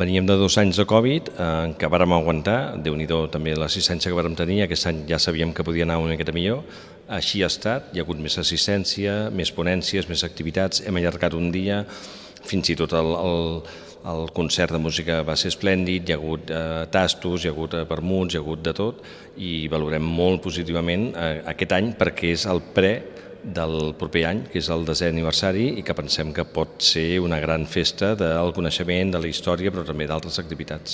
Veníem de 2 anys de Covid, en què vàrem aguantar, Déu-n'hi-do també l'assistència que vàrem tenir, aquest any ja sabíem que podia anar una miqueta millor, així ha estat, hi ha hagut més assistència, més ponències, més activitats, hem allargat un dia, fins i tot el concert de música va ser esplèndid, hi ha hagut tastos, hi ha hagut vermuts, hi ha hagut de tot, i valorem molt positivament aquest any perquè és el del proper any, que és el 10è aniversari, i que pensem que pot ser una gran festa del coneixement, de la història, però també d'altres activitats.